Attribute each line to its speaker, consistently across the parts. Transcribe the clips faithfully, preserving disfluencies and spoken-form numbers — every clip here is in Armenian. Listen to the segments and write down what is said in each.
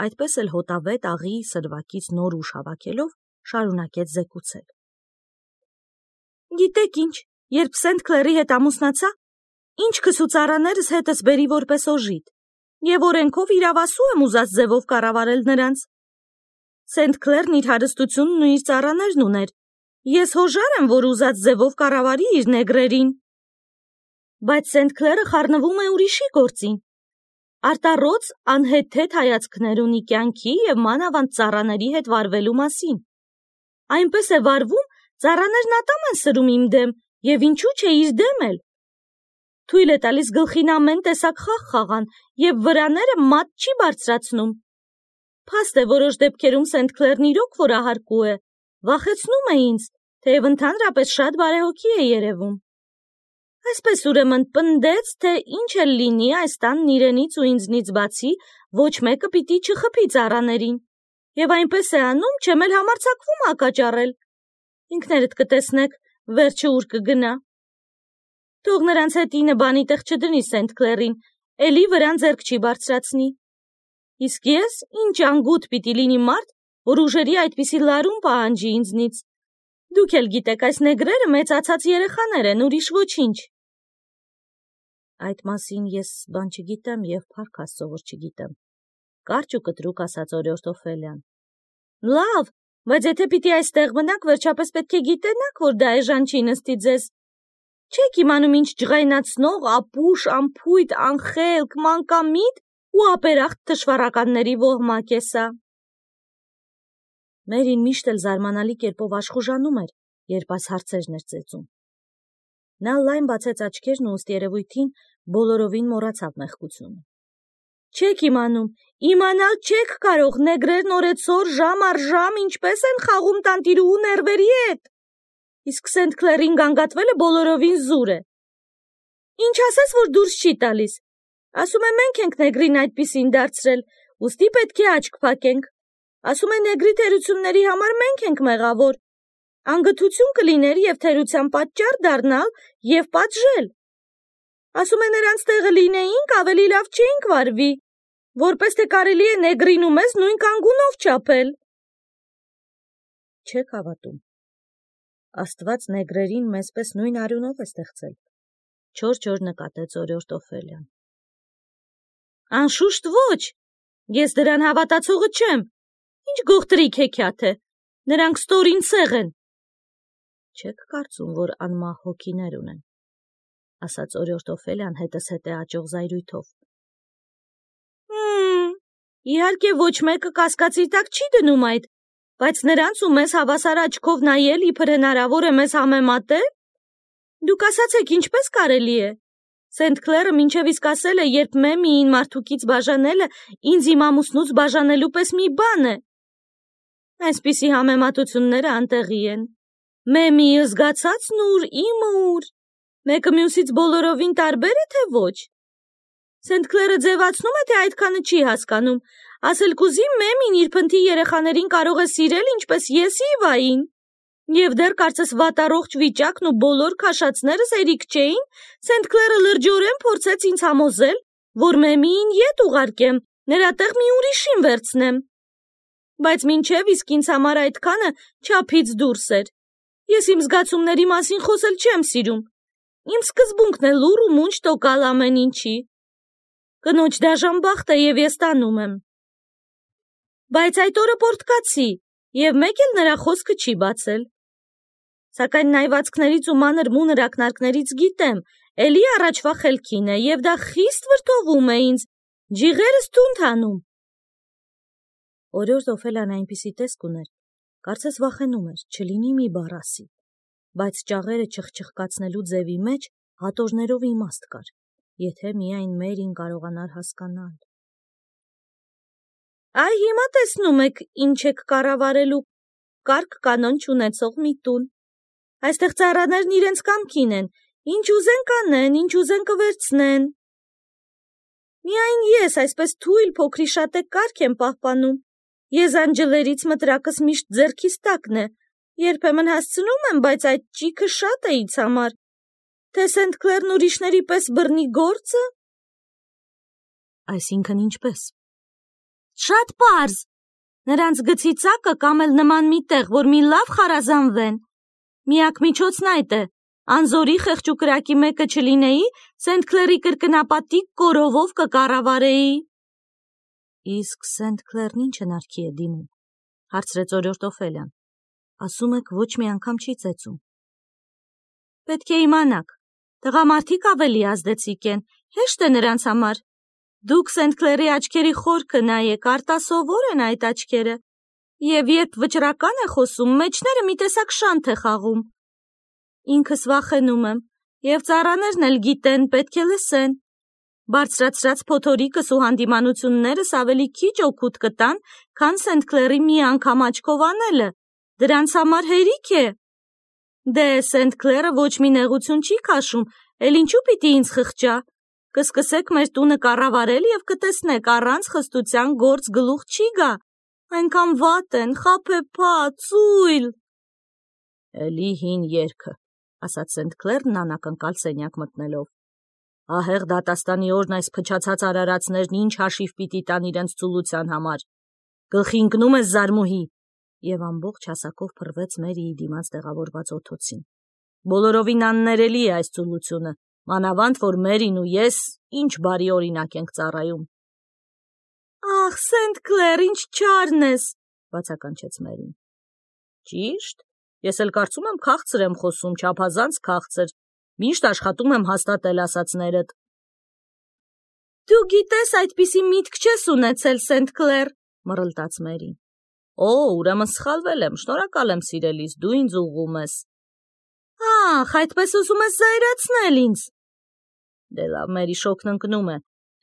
Speaker 1: այդպես էլ հոտավետ աղի սրվակից նոր ուժ հավաքելով շարունակեց զեկուցել. Գիտեք ինչ, երբ Սենթ Քլերի հետ ամուսնացա, ինչ քսու ծառաներս հետս բերի որպես օժիտ, եւ օրենքով իրավասու եմ ուզած ձևով կառավարել նրանց։ Սենթ Քլերն իր հարստությունն ու իր ծառաներն ուներ, ես հոժար եմ, որ ուզած ձևով կառավարի իր նեգրերին։ Բայց Սենթ Քլերը խառնվում է ուրիշի գործին, արտառոց անհեթեթ հայացքներ ունի կյանքի եւ մանավանդ ծառաների հետ վարվելու մասին։ Այնպես է վարվում, ծառաներն ատամ են սրում իմ դեմ, եւ ինչու՞ չէ իր դեմ էլ։ Թույլ է տալիս գլխին ամեն տեսակ խաղ խաղան, եւ վրաները մատ չի բարձրացնում։ Փաստ է որոշ դեպքերում Սենթ Քլերն իրոք որահարկու է, վախեցնում է ինձ, թեև ընդհանրապես շատ բարեհոգի է երևում։ Այսպես ուրեմն պնդեց, թե ինչ էլ լինի այս տանն իրենից ու ինձնից բացի, ոչ մեկը պիտի չխփի ծառաներին, եւ այնպես է անում, չեմ էլ համարձակվում հակաճառել։ Ինքներդ կտեսնեք, վերջը ուր կգնա։ Թող նրանց հետ ինը բանի տեղ չդնի Սենթ Քլերին, էլի վրան ձեռք չի բարձրացնի։ Իսկ ես ինչ անգութ պիտի լինի մարդ, որ ուժերի այդպիսի լարում պահանջի ինձնից։ Դուք էլ գիտեք, այս նեգրերը մեծացած երեխաներ են, ուրիշ ոչինչ։ Այդ մասին ես բան չգիտեմ եւ փառք Աստծո, որ չգիտեմ, կարճ ու կտրուկ ասաց օրիորդ Օֆելիան։ Լավ, բայց եթե պիտի այստեղ մնաք, վերջապես պետք է գիտենաք, որ դա էժան չի նստի ձեզ։ Չեք իմանում ինչ ջղայնացնող, ապուշ, ամփույթ, անխելք, մանկամիտ ու ապերախտ թշվառականների ոհմակ է սա։ Մերին միշտ էլ զարմանալի կերպով աշխուժանում էր, երբ այս հարցերն էր ծեծում։ Նա լայն բացեց աչքերն ու ըստ երևույթին բոլորովին մոռացավ մեղքությունը։ Չեք իմանում, իմանալ չեք կարող, նեգրերն օրեցօր ժամ առ ժամ ինչպես են խաղում տանտիրուհու ներվերի հետ։ Իսկ Սենթ Քլերին գանգատվելը բոլորովին զուր է։ Ինչ ասես, որ դուրս չի տալիս։ Ասում է մենք ենք նեգրին այդպիսին դարձրել, ուստի պետք է աչք փակենք։ Ասում է նեգրի թերությունների համար մենք ենք մեղավոր։ Անգթություն կլիներ եւ թերության պատճառ դառնալ եւ պատժել։ Ասում է նրանց տեղը լինեինք, ավելի լավ չէինք վարվի, որպես թե կարելի է նեգրին ու մեզ նույն կանգունով չափել։ Չեք հավատում։ Աստված նեգրերին մեզպես նույն արյունով է ստեղծել, չոր-չոր նկատեց օրիորդ Օֆելիան։ Անշուշտ ոչ, ես դրան հավատացողը չեմ, ինչ գողտրիկ հեքիաթ է, նրանք ստորին ցեղ են։ Չեք կարծում, որ անմահ հոգիներ ունեն, ասաց օրիորդ Օֆելիան հետզհետե աճող զայրույթով։ Հմ, իհարկե ոչ մեկը կասկածի տակ չի դնում այդ, բայց նրանց ու մեզ հավասար աչքով նայել իբր հնարավոր է մեզ համեմատել։ Դուք ասացեք, ինչպես կարելի է։ Սենթ Քլերը մինչև իսկ ասել է, երբ Մեմիին մարդուկից բաժանելը ինձ իմ ամուսնուց բաժանելու պես մի բան է։ Այսպիսի համեմատությունները անտեղի են։ Մեմիի զգացածն ուր, իմը ուր, մեկը մյուսից բոլորովին տարբեր է, թե ոչ։ Սենթ Քլերը ձևացնում է, թե այդքանը չի հասկանում, ասել կուզի Մեմին իր փնթի երեխաներին կարող է սիրել, ինչպես ես Իվային։ Եվ դեռ կարծես վատառողջ վիճակն ու բոլոր քաշածներս հերիք չէին, Սենթ Քլերը լրջորեն փորձեց ինձ համոզել, որ Մեմիին ետ ուղարկեմ, նրա տեղ մի ուրիշին վերցնեմ։ Բայց մինչև իսկ ինձ համար այդքանը չափից դուրս էր։ Ես իմ զգացումների մասին խոսել չեմ սիրում։ Իմ սկզբունքն է լուռ ու մունջ տոկալ ամեն ինչի։ Կնոջ դաժան բախտ է եւ ես տանում եմ։ Բայց այդ օրը պորտկացի, եւ մեկ էլ նրա խոսքը չի բացել։ Սակայն նայվածքներից ու մանր մունր ակնարկներից գիտեմ, էլի առաջվա խելքին է, եւ դա խիստ վրդովում է ինձ, ջիղերս թունդ հանում։ Օրիորդ Օֆելիան այնպիսի տեսք ուներ, կարծես վախենում էր, չլինի մի բառ ասի, բայց ճաղերը չխչխկացնելու ձևի մեջ հատորներով իմաստ կար, եթե միայն Մերին կարողանար հասկանալ։ Այ հիմա տեսնում եք, ինչ եք կառավարելու, կարգ կանոն չունեցող մի տուն։ Այստեղ ծառաներն իրենց կամքին են, ինչ ուզեն կանեն, ինչ ուզեն կվերցնեն։ Միայն ես այսպես թույլ փոքրիշատե կարգ եմ պահպանում։ Եզանջլերից մտրակս միշտ ձեռքիս տակն է, երբեմն հասցնում եմ, բայց այդ ճիքը շատ է ինձ համար։ Թե Սենթ Քլերն ուրիշների պես բռնի գործը։ Այսինքն ինչպես։ Շատ պարզ։ Նրանց գցի ծակը կամ էլ նման մի տեղ, որ մի լավ խարազանվեն։ Միակ միջոցն այդ է։ Անզորի խեղճ ու կրակի մեկը չլինեի, Սենթ Քլերի կրկնապատիկ կորովով կկառավարեի։ Իսկ Սենթ Քլերն ինչ հնարքի է դիմում, հարցրեց օրորդ Օֆելիան։ Ասում եք ոչ մի անգամ չի ծեծում։ Պետք է իմանաք, տղամարդիկ ավելի ազդեցիկ են, հեշտ է նրանց համար։ Դուք Սենթ Քլերի աչքերի խորքը նայեք, արտասովոր են այդ աչքերը, և երբ վճռական է խոսում, մեջները մի տեսակ շանթ է խաղում։ Ինքս վախենում եմ, և ծառաներն էլ գիտեն, պետք է լսեն։ Բարձրացրած փոթորիկս ու հանդիմանություններս ավելի քիչ օգուտ կտան, քան Սենթ Քլերի մի անգամ աչքով անելը, դրանց համար հերիք է։ Դե Սենթ Քլերը ոչ մի նեղություն չի քաշում, էլ ինչու պիտի ինձ խղճա։ Կսկսեք մեր տունը կառավարել և կտեսնեք, առանց խստության գործ գլուխ չի գա։ Այնքան վատ են, խաբեբա, ծույլ։ Էլի հին երգը, ասաց Սենթ Քլերն անակնկալ սենյակ մտնելով։ Ահեղ դատաստանի օրն այս փչացած արարածներն ինչ հաշիվ պիտի տան իրենց ծուլության համար։ Գլխի ընկնում ես զարմուհի, և ամբողջ հասակով փռվեց Մերիի դիմաց տեղավորված օթոցին։ Բոլորովին աններելի է այս ծուլությունը, մանավանդ որ Մերին ու ես ինչ բարի օրինակ ենք ծառայում։ Ախ, Սենթ Քլեր, ինչ չարն ես, բացականչեց Մերին։ Ճիշտ, ես էլ կարծում եմ քաղցր եմ խոսում, չափազանց քաղցր, միշտ աշխատում եմ հաստատել ասածներդ։ Դու գիտես, այդպիսի միտք չես ունեցել, Սենթ Քլեր, մռլտաց Մերին։ Օ, ուրեմն սխալվել եմ, շնորհակալ եմ սիրելիս, դու ինձ ուղղում ես։ Ախ, այդպես ուզում ես զայրացնել ինձ։ Դե լավ, Մերի, շոգն ընկնում է։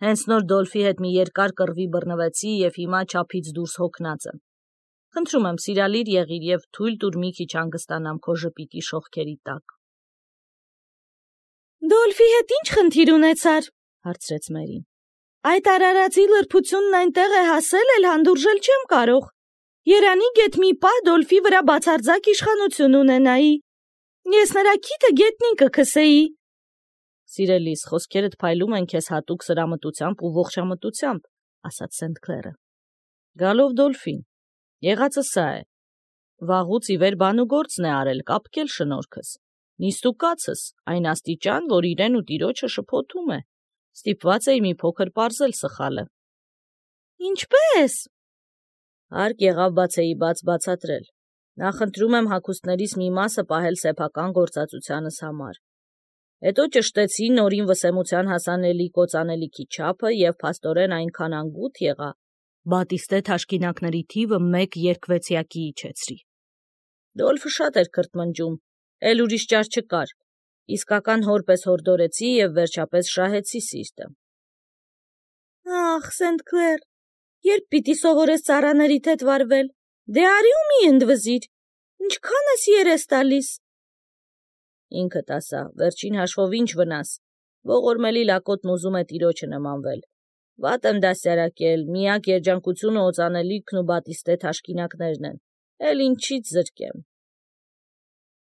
Speaker 1: Հենց նոր Դոլֆի հետ մի երկար կռվի բռնվեցի և հիմա չափից դուրս հոգնած եմ։ Խնդրում եմ, սիրալիր եղիր և թույլ տուր մի քիչ հանգստանամ քո ժպիտի շողքերի տակ։ Դոլֆի հետ ինչ խնդիր ունեցար, հարցրեց Մերին։ Այդ արարածի լրբությունն այնտեղ է հասել, էլ հանդուրժել չեմ կարող։ Երանի գեթ մի պահ Դոլֆի վրա բացարձակ իշխանություն ունենայի։ Ես նրա քիթը գետնին կքսեի։ Սիրելիս, խոսքերդ փայլում են քեզ հատուկ սրամտությամբ ու ողջամտությամբ, ասաց Սենթ Քլերը։ Գալով Դոլֆին, եղածը սա է։ Վաղուց ի վեր բան ու գործն է արել, կապկել շնորհքս։ Նիստուկացս, այն աստիճան, որ իրեն ու տիրոջը շփոթում է։ Ստիպված էի մի փոքր պարզել սխալը։ Ինչպե՞ս։ Հարկ եղավ բացեի բաց բացատրել։ Նախընտրում եմ հագուստներիս մի մասը պահել սեփական գործածությանս համար։ Հետո ճշտեցի նորին վսեմության հասանելի կոծանելիքի չափը և փաստորեն այնքան անգութ եղա, բատիստե թաշկինակների թիվը մեկ երկվեցյակի իջեցրի։ Դոլֆը շատ էր քրթմնջում, էլ ուրիշ ճար չկար։ Իսկական հոր պես հորդորեցի և վերջապես շահեցի սիրտը։ Ախ, Սենթ Քլեր, երբ պիտի սովորես ծառաներիդ հետ վարվել, դե արի ու մի ընդվզիր, ինչքան ես երես տալիս։ Ինքդ ասա, վերջին հաշվով ինչ վնաս, ողորմելի լակոտն ուզում է տիրոջը նմանվել։ Վատ եմ դաստիարակել, միակ երջանկությունը օծանելիքն ու բատիստե թաշկինակներն են, էլ ինչից զրկեմ։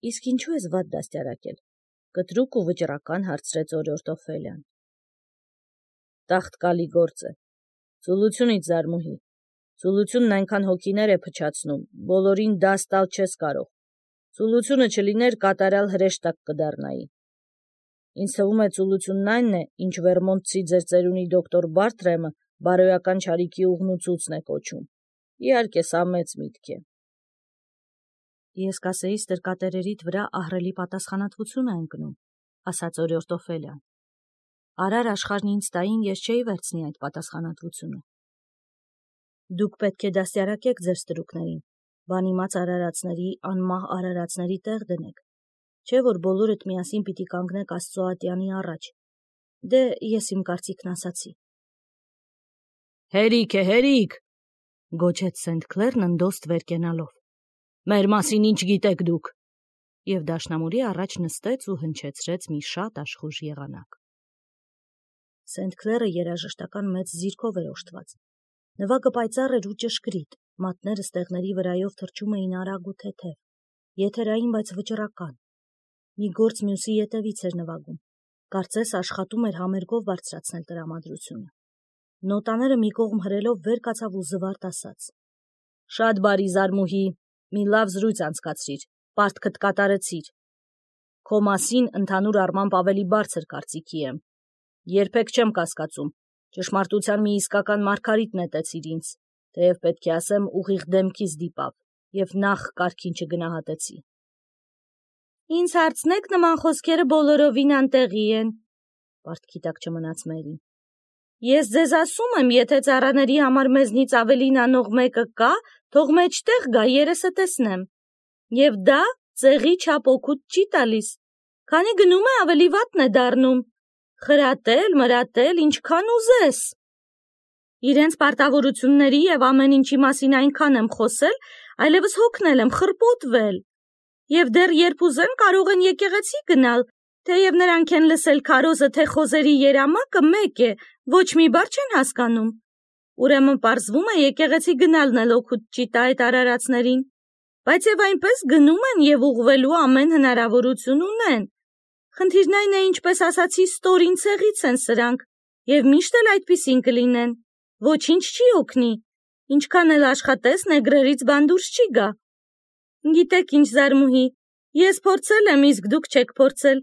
Speaker 1: Իսկ ինչու ես վատ դաստիարակել, կտրուկ ու վճռական հարցրեց օրորդ Օֆելիան։ Տաղտկալի գործ է։ Ծուլությունից զարմուհի։ Ծուլությունն այնքան հոգիներ է փչացնում, բոլորին դաս տալ չես կարող։ Ծուլությունը չլիներ, կատարյալ հրեշտակ կդառնայի։ Ինձ թվում է ծուլությունն այնն է, ինչ Վերմոնտցի ձեր ծերունի դոկտոր Բարթրեմը բարոյական չարիքի ուղնուցուցն է կոչում։ Իհարկե, սա մեծ միտք է։ Ես կասեի ստրկատերերիդ վրա ահռելի պատասխանատվություն է ընկնում, ասաց օրորդ Օֆելիան։ Արար աշխարհն ինձ տային, ես չէի վերցնի այդ պատասխանատվությունը։ Դուք պետք է դաստիարակեք ձեր ստրուկներին, բանիմաց արարածների, անմահ արարածների տեղ դնեք, չէ՞ որ բոլորդ միասին պիտի կանգնեք Աստծո ատյանի առաջ։ Դե ես իմ կարծիքն ասացի։ Հերիք է, հերիք, գոչեց Սենթ Քլերն ընդոստ վեր կենալով։ Մեր մասին ինչ գիտեք դուք։ Եվ դաշնամուրի առաջ նստեց ու հնչեցրեց մի շատ աշխույժ եղանակ։ Սենթ Քլերը երաժշտական մեծ զիրքով էր օժտված։ Նվագը պայծառ էր ու ճշգրիտ, մատները ստեղների վրայով թռչում էին արագ ու թեթև, եթերային, բայց վճռական։ Մի գործ մյուսի ետևից էր նվագում, կարծես աշխատում էր համերգով բարձրացնել տրամադրությունը։ Նոտաները մի կողմ հրելով վեր կացավ ու զվարթ ասաց. Շատ բարի Զարմուհի, մի լավ զրույց անցկացրիր, պարտքդ կատարեցիր։ Քո մասին ընդհանուր առմամբ ավելի բարձր կարծիքի եմ։ Երբեք չեմ կասկածում, ճշմարտության մի իսկական մարգարիտ նետեցիր ինձ, թեև պետք է ասեմ ուղիղ դեմքիս դիպավ, և նախ կարգին չգնահատեցի։ Ինձ հարցնեք, նման խոսքերը բոլորովին անտեղի են, պարտքի տակ չմնաց Մերին։ Ես ձեզ ասում եմ, եթե ծառաների համար մեզնից ավելին անող մեկը կա, թող մեջտեղ գա, երեսը տեսնեմ։ Եվ դա ծեղի չափ օգուտ չի տալիս, քանի գնում է ավելի վատն է դառնում, խրատել, մրատել, ինչքան ուզես։ Իրենց պարտավորությունների և ամեն ինչի մասին այնքան եմ խոսել, այլևս հոգնել եմ, խրպոտվել։ Եվ դեռ երբ ուզեն կարող են եկեղեցի գնալ, թեև նրանք են լսել քարոզը, թե խոզերի երամակը մեկ է, ոչ մի բառ չեն հասկանում։ Ուրեմն պարզվում է եկեղեցի գնալն էլ օգուտ չի տա այդ արարածներին, բայց և այնպես գնում են և ուղղվելու ամեն հնարավորություն ունեն։ Խնդիրն այն է, ինչպես ասացի, ստորին ցեղից են սրանք, և միշտ էլ այդպիսին կլինեն, ոչինչ չի օգնի, ինչքան էլ աշխատես, նեգրերից բան դուրս չի գա։ Գիտեք ինչ, Զարմուհի, ես փորձել եմ, իսկ դուք չեք փորձել,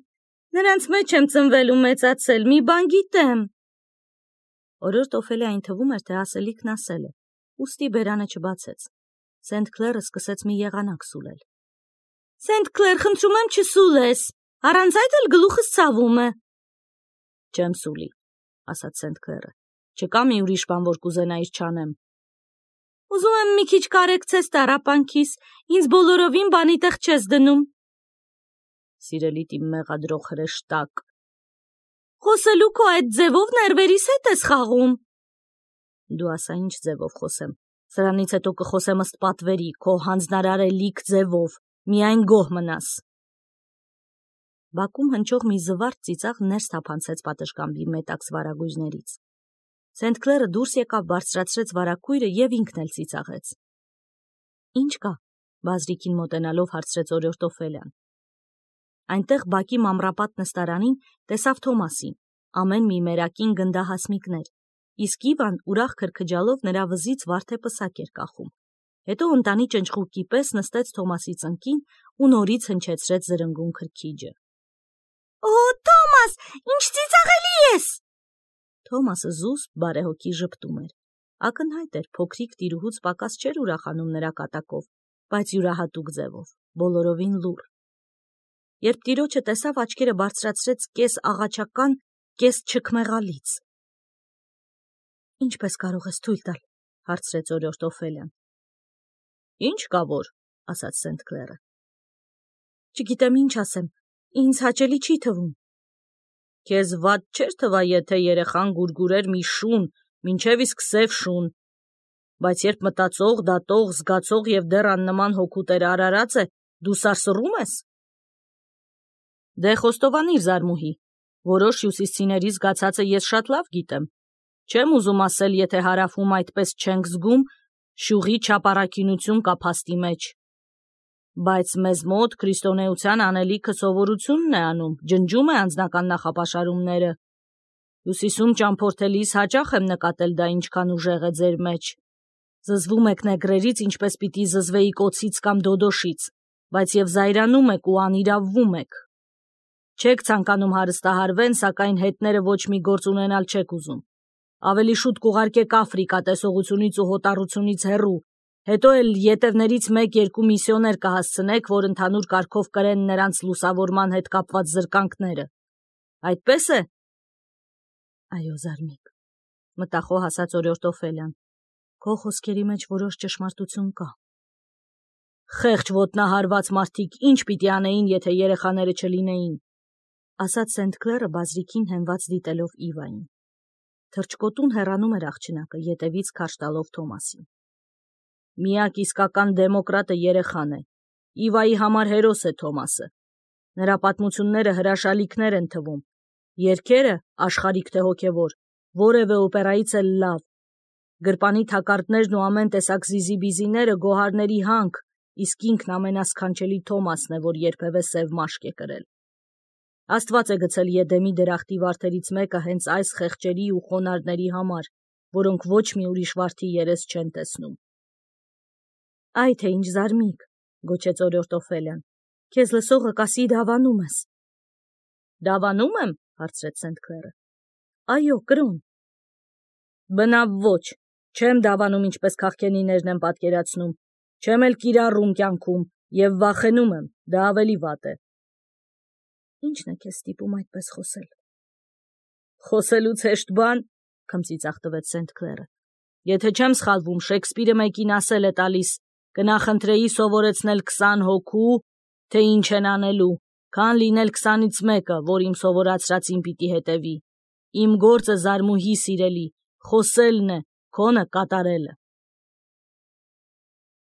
Speaker 1: նրանց մեջ եմ ծնվել ու մեծացել, մի բան գիտեմ։ Օրորդ Օֆելիային թվում էր, թե ասելիքն ասել է, ուստի բերանը չբացեց։ Սենթ Քլերը սկսեց մի եղանակ սուլել։ Սենթ Քլեր, խնդրում եմ չսուլես, առանց այդ էլ գլուխս ցավում է։ Չեմ սուլի, ասաց Սենթ Քլերը, չկա մի ուրիշ բան, որ կուզենայիր չանեմ։ Ուզում եմ մի քիչ կարեկցես տառապանքիս, ինձ բոլորովին բանի տեղ չես դնում։ Սիրելիդ իմ մեղադրող հրեշտակ։ Խոսելու քո այդ ձևով ներվերիս հետ ես խաղում։ Դու ասա ինչ ձևով խոսեմ, սրանից հետո կխոսեմ ըստ պատվերի, քո հանձնարարելիք ձևով, միայն գոհ մնաս։ Բակում հնչող մի զվարթ ծիծաղ ներս թափանցեց պատշգամբի մետաքս վարագույրներից։ Սենթ Քլերը դուրս եկավ, բարձրացրեց վարագույրը և ինքն էլ ծիծաղեց։ Ինչ կա, բազրիկին մոտենալով հարցրեց օրորդ Օֆելիան։ Այնտեղ բակի մամռապատ նստարանին տեսավ Թոմասին, ամեն մի մերակին գնդահասմիկներ, իսկ Իվան ուրախ քրքջալով նրա վզից վարդեպսակ էր կախում, հետո ընտանի ճնճղուկի պես նստեց Թոմասի ծնկին ու նորից հնչեցրեց զրնգուն քրքիջը։ Օ, Թոմաս, ինչ ծիծաղելի ես։ Թոմասը զուսպ բարեհոգի ժպտում էր, ակնհայտ էր, փոքրիկ տիրուհուց պակաս չէր ուրախանում նրա կատակով, բայց յուրահատուկ ձևով, բոլորովին լուռ։ Երբ տիրոջը տեսավ, աչքերը բարձրացրեց կես աղաչական, կես չքմեղալից։ Ինչպես կարող ես թույլ տալ, հարցրեց օրորդ Օֆելիան։ Ինչ կա որ, ասաց Սենթ Քլերը։ Չգիտեմ ինչ ասեմ, ինձ հաճելի չի թվում։ Քեզ վատ չէր թվա, եթե երեխան գուրգուրեր մի շուն, մինչև իսկ սև շուն, բայց երբ մտածող, դատող, զգացող և դեռ աննման հոգուտեր արարած է, դու սարսռում ես։ Դե խոստովանիր, Զարմուհի, որոշ հյուսիսցիների զգացածը ես շատ լավ գիտեմ։ Չեմ ուզում ասել, եթե հարավում այդպես չենք զգում, շյուղի չափառաքինություն կա փաստի մեջ։ Բայց մեզ մոտ քրիստոնեության անելիքը սովորությունն է անում, ջնջում է անձնական նախապաշարումները։ Հյուսիսում ճամփորդելիս հաճախ եմ նկատել դա ինչքան ուժեղ է ձեր մեջ։ Զզվում եք նեգրերից, ինչպես պիտի զզվեի կոցից կամ դոդոշից, բայց և զայրանում եք ու անիրավվում եք։ Չեք ցանկանում հարստահարվեն, սակայն հետները ոչ մի գործ ունենալ չեք ուզում։ Ավելի շուտ կուղարկեք Աֆրիկա տեսողությունից ու հոտառությունից հեռու, հետո էլ ետևներից մեկ-երկու միսիոներ կհասցնեք, որ ընդհանուր կարգով կրեն նրանց լուսավորման հետ կապված զրկանքները։ Այդպես է։ Այո, Զարմիկ, մտախոհ ասաց օրորդ Օֆելիան, քո խոսքերի մեջ որոշ ճշմարտություն կա։ Խեղճ ոտնահարված մարդիկ ինչ պիտի անեին, եթե երեխաները չլինեին, ասաց Սենթ Քլերը բազրիկին հենված դիտելով Իվային։ Թրջկոտուն հեռանում էր աղջնակը, ետևից քարշ տալով Թոմասին։ Միակ իսկական դեմոկրատը երեխան է։ Իվայի համար հերոս է Թոմասը։ Նրա պատմությունները հրաշալիքներ են թվում։ Երգերը, աշխարհիկ թե հոգևոր, որևէ օպերայից էլ լավ։ Գրպանի թակարդներն ու ամեն տեսակ զիզիբիզիները գոհարների հանք, իսկ ինքն ամենասքանչելի Թոմասն է, որ երբևէ սև մաշկ է կրել։ Աստված է գցել Եդեմի դրախտի վարդերից մեկը հենց այս խեղճերի ու խոնարհների համար, որոնք ոչ մի ուրիշ վարդի երես չեն տեսնում։ Այ թե ինչ զարմիկ, գոչեց օրորտ Օֆելիան, քեզ լսողը կասի դավանում ես։ Դավանում եմ, հարցրեց Սենթ Քլերը։ Այո, կրոն։ Բնավ ոչ, չեմ դավանում ինչպես քաղքենիներն են պատկերացնում, չեմ էլ կիրառում կյանքում և վախենում եմ, դա ավելի վատ է։ Ինչն է քեզ ստիպում այդպես խոսել։ Խոսելուց հեշտ բան, քմծիծաղ տվեց Սենթ Քլերը։ Եթե չեմ սխալվում, Շեքսպիրը մեկին ասել է տալիս, կնախընտրեի սովորեցնել քսան հոգու, թե ինչ են անելու, քան լինել քսանից մեկը, որ իմ սովորացրածին պիտի հետևի։ Իմ գործը զարմուհի սիրելի, խոսելն է, քոնը կատարելը։